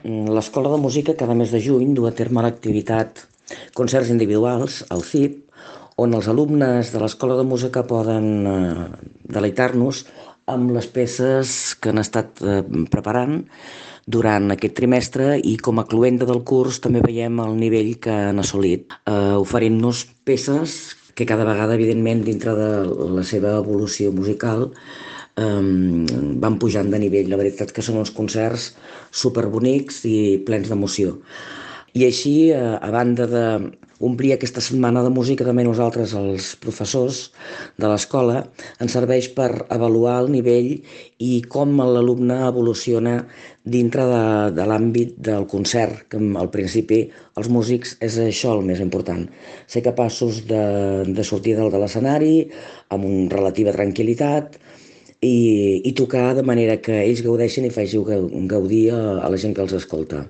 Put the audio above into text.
L'Escola de Música cada mes de juny du a terme l'activitat Concerts Individuals, al CIP, on els alumnes de l'Escola de Música poden deleitar-nos amb les peces que han estat preparant durant aquest trimestre i com a cloenda del curs també veiem el nivell que han assolit, oferint-nos peces que cada vegada, evidentment, dintre de la seva evolució musical, van pujant de nivell. La veritat que són uns concerts superbonics i plens d'emoció. I així, a banda d'omplir aquesta setmana de música, també nosaltres, els professors de l'escola, ens serveix per avaluar el nivell i com l'alumne evoluciona dintre de l'àmbit del concert, que al principi els músics és això el més important, ser capaços de sortir de l'escenari amb una relativa tranquil·litat i tocar de manera que ells gaudeixin i faci gaudir a la gent que els escolta.